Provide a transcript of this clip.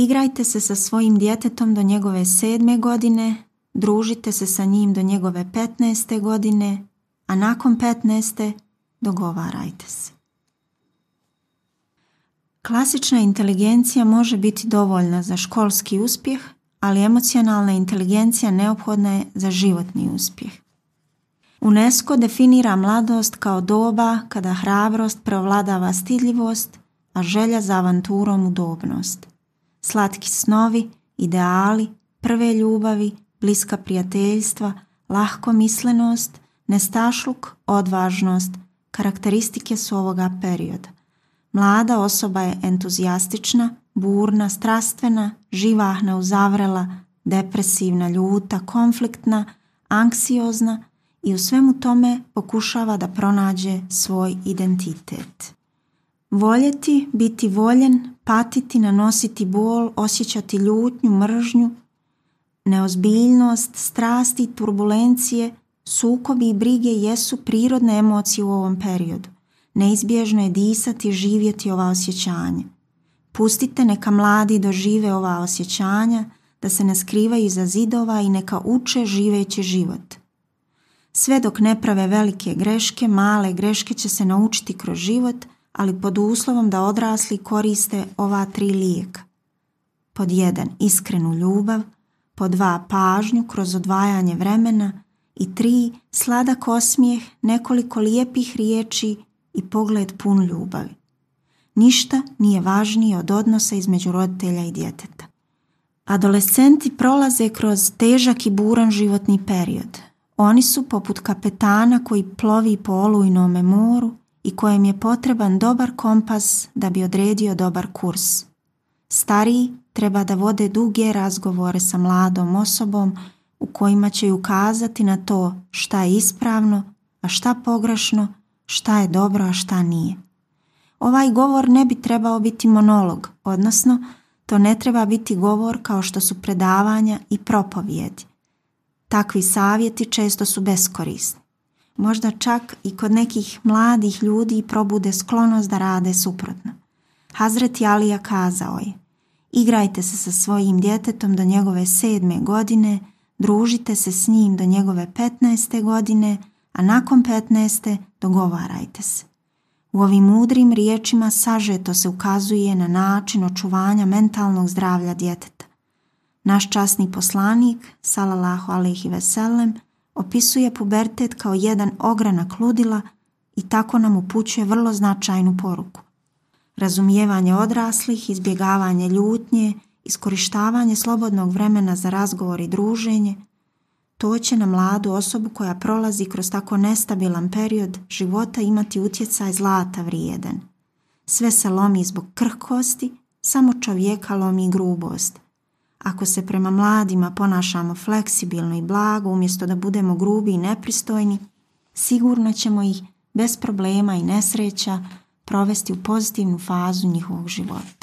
Igrajte se sa svojim djetetom do njegove 7. godine, družite se sa njim do njegove 15. godine, a nakon 15. dogovarajte se. Klasična inteligencija može biti dovoljna za školski uspjeh, ali emocionalna inteligencija neophodna je za životni uspjeh. UNESCO definira mladost kao doba kada hrabrost prevladava stidljivost, a želja za avanturom udobnost. Slatki snovi, ideali, prve ljubavi, bliska prijateljstva, lahkomislenost, nestašluk, odvažnost, karakteristike su ovoga perioda. Mlada osoba je entuzijastična, burna, strastvena, živahna, uzavrela, depresivna, ljuta, konfliktna, anksiozna i u svemu tome pokušava da pronađe svoj identitet. Voljeti, biti voljen, patiti, nanositi bol, osjećati ljutnju, mržnju, neozbiljnost, strasti, turbulencije, sukobi i brige jesu prirodne emocije u ovom periodu. Neizbježno je disati i živjeti ova osjećanja. Pustite neka mladi dožive ova osjećanja, da se ne skrivaju iza zidova i neka uče živeći život. Sve dok ne prave velike greške, male greške će se naučiti kroz život, ali pod uslovom da odrasli koriste ova 3 lijeka. Pod 1. Iskrenu ljubav, pod 2. Pažnju kroz odvajanje vremena i 3. Sladak osmijeh, nekoliko lijepih riječi i pogled pun ljubavi. Ništa nije važnije od odnosa između roditelja i djeteta. Adolescenti prolaze kroz težak i buran životni period. Oni su poput kapetana koji plovi po olujnome moru i kojem je potreban dobar kompas da bi odredio dobar kurs. Stariji treba da vode duge razgovore sa mladom osobom u kojima će ukazati na to šta je ispravno, a šta pogrešno, šta je dobro, a šta nije. Ovaj govor ne bi trebao biti monolog, odnosno to ne treba biti govor kao što su predavanja i propovjedi. Takvi savjeti često su beskorisni. Možda čak i kod nekih mladih ljudi probude sklonost da rade suprotno. Hazreti Alija kazao je: igrajte se sa svojim djetetom do njegove 7. godine, družite se s njim do njegove 15. godine, a nakon 15. dogovarajte se. U ovim mudrim riječima sažeto se ukazuje na način očuvanja mentalnog zdravlja djeteta. Naš časni poslanik, salallahu alejhi ve sellem, opisuje pubertet kao jedan ogranak ludila i tako nam upućuje vrlo značajnu poruku. Razumijevanje odraslih, izbjegavanje ljutnje, iskorištavanje slobodnog vremena za razgovor i druženje, to će na mladu osobu koja prolazi kroz tako nestabilan period života imati utjecaj zlata vrijedan. Sve se lomi zbog krhkosti, samo čovjeka lomi grubost. Ako se prema mladima ponašamo fleksibilno i blago umjesto da budemo grubi i nepristojni, sigurno ćemo ih bez problema i nesreća provesti u pozitivnu fazu njihovog života.